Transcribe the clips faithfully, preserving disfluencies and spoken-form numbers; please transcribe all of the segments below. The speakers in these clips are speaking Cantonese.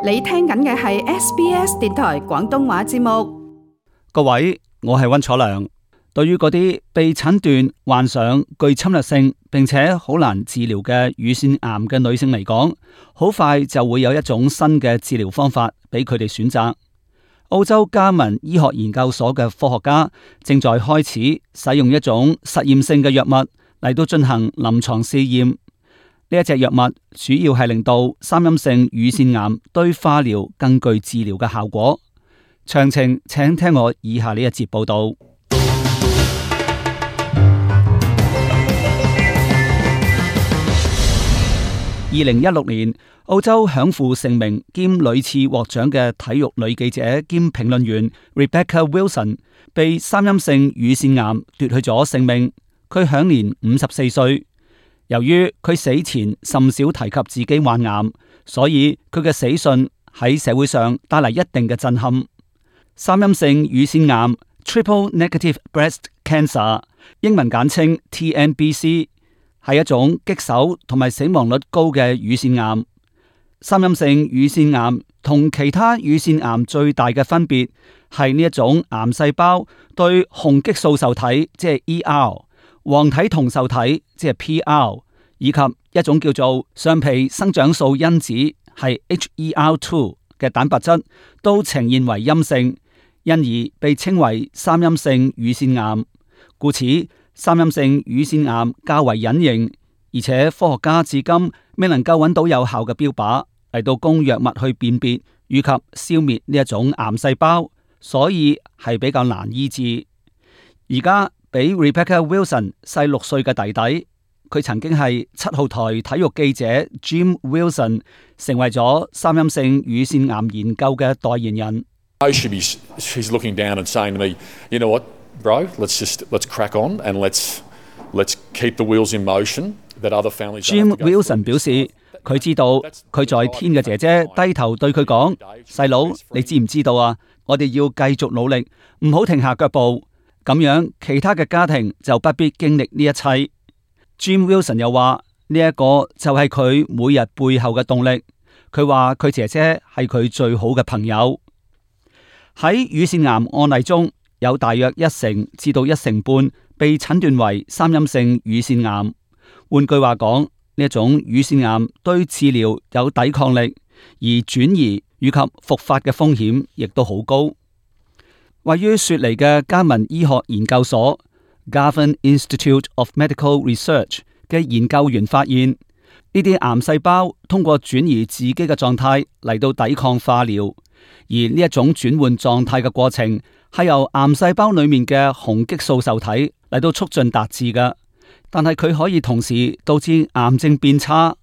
你聽緊嘅係 S B S 電台廣東話節目。各位，我係溫楚良。對於嗰啲被診斷患上具侵略性並且好難治療嘅乳腺癌嘅女性嚟講，好快就會有一種新嘅治療方法俾佢哋選擇。澳洲加文醫學研究所嘅科學家正在開始使用一種實驗性嘅藥物嚟到進行臨床試驗。呢一隻藥物主要係令到三陰性乳腺癌對化療更具治療嘅效果。詳情請聽我以下呢一節報道。二零一六年，澳洲享負盛名兼屢次獲獎嘅體育女記者兼評論員 Rebecca Wilson 被三陰性乳腺癌奪去咗性命，佢享年五十四歲。由於佢死前甚少提及自己患癌，所以佢嘅死訊喺社會上帶嚟一定嘅震撼。三陰性乳腺癌 （Triple Negative Breast Cancer） 英文簡稱 T N B C， 係一種棘手同埋死亡率高嘅乳腺癌。三陰性乳腺癌同其他乳腺癌最大嘅分別係呢一種癌細胞對雄激素受體即係 E R、黃體同受體即係 P R， 以及一種叫做上皮生長素因子係 H E R 二嘅蛋白質都呈現為陰性，因而被稱為三陰性乳腺癌。故此，三陰性乳腺癌較為隱形，而且科學家至今未能夠揾到有效嘅標靶嚟到供藥物去辨別以及消滅呢一種癌細胞，所以係比較難醫治。而家比 Rebecca Wilson 細六歲嘅弟弟，佢曾經係七號台體育記者 Jim Wilson， 成為咗三陰性乳腺癌研究嘅代言人。She's looking down and saying to me, "You know what, bro? Let's just let's crack on and let's let's keep the wheels in motion." That other families. Jim Wilson 表示，佢知道佢在天嘅姐姐低頭對佢講：細佬，你知唔知道啊？我哋要繼續努力，唔好停下腳步。咁樣，其他嘅家庭就不必經歷呢一切。Jim Wilson 又話：呢一個就係佢每日背後嘅動力。佢話佢姐姐係佢最好嘅朋友。喺乳腺癌案例中，有大約一成至到一成半被診斷為三陰性乳腺癌。換句話講，呢一種乳腺癌對治療有抵抗力，而轉移以及復發嘅風險亦都好高。位於雪梨嘅加文醫學研究所 Garvan Institute of Medical Research 嘅研究員發現，呢啲癌細胞通過轉移自己嘅狀態嚟到抵抗化療，而呢一種轉換狀態嘅過程係由癌細胞裏面嘅雄激素受體嚟到促進達至嘅，但係佢可以同時導致癌症變差。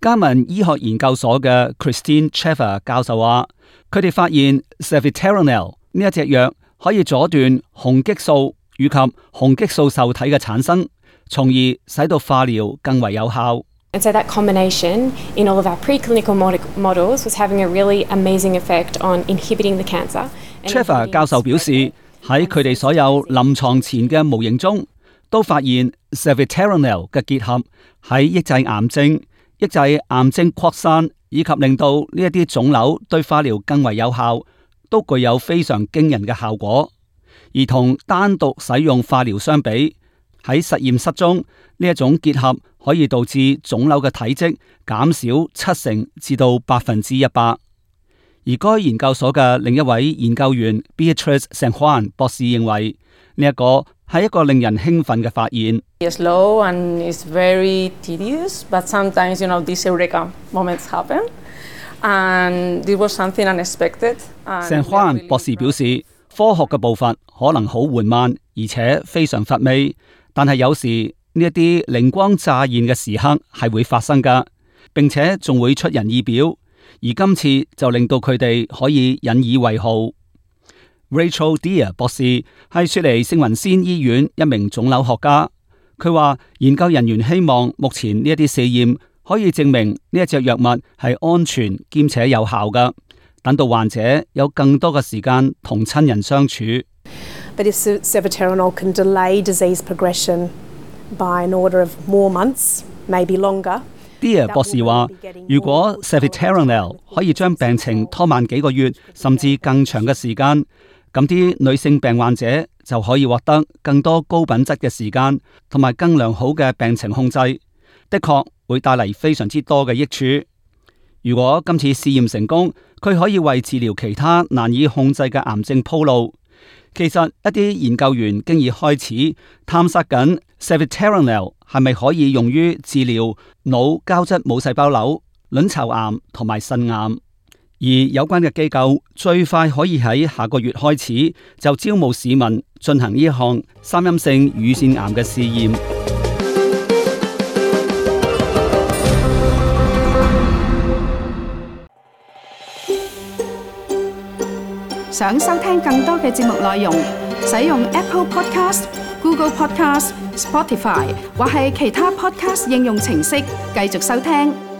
加文醫學研究所嘅 Christine Chaffer 教授話，佢哋發現 Savitarinol 呢一隻藥可以阻斷雄激素以及雄激素受體嘅產生，從而使到化療更為有效。And so that combination in all of our preclinical models was having a really amazing effect on inhibiting the cancer. Chaffer 教授表示，喺佢哋所有臨床前嘅模型中，都發現 Savitarinol 嘅結合喺抑制癌症、抑制癌症擴散以及令到呢一啲腫瘤對化療更為有效，都具有非常驚人嘅效果。而同單獨使用化療相比，喺實驗室中呢一種結合可以導致腫瘤嘅體積減少七成至到百分之一百。而該研究所嘅另一位研究員 Beatrice San Juan 博士認為，呢一個係一個令人興奮嘅發現。It's slow and it's very tedious, but sometimes, you know, these eureka moments happen, and it was something unexpected. San Juan 博士表示，科學嘅步伐可能好緩慢，而且非常乏味，但係有時呢一啲靈光乍現嘅時刻係會發生㗎，並且仲會出人意表。而今次就令到佢哋可以引以為豪。Rachel Deer 博士係雪梨聖雲仙醫院一名腫瘤學家，佢話研究人員希望目前呢一啲試驗可以證明呢一隻藥物係安全兼且有效㗎，等到患者有更多嘅時間同親人相處。But if Savitarinol can delay disease progression by an order of more months, maybe longer, Dear 博士話，如果 Seviterilinal 可以將病情拖慢幾個月，甚至更長嘅時間，咁啲女性病患者就可以獲得更多高品質嘅時間，同埋更良好嘅病情控制，的確會帶嚟非常之多嘅益處。如果今次試驗成功，佢可以為治療其他難以控制嘅癌症鋪路。其實一啲研究員經已開始探索緊 Seviterilinal 係咪可以用於治療腦膠質母細胞瘤、卵巢癌同埋腎癌，而有關嘅機構最快可以喺下個月開始就招募市民進行呢項三陰性乳腺癌嘅試驗。想收聽更多嘅節目內容，使用 Apple Podcast、Google Podcast、Spotify 或係其他 Podcast 應用程式繼續收聽。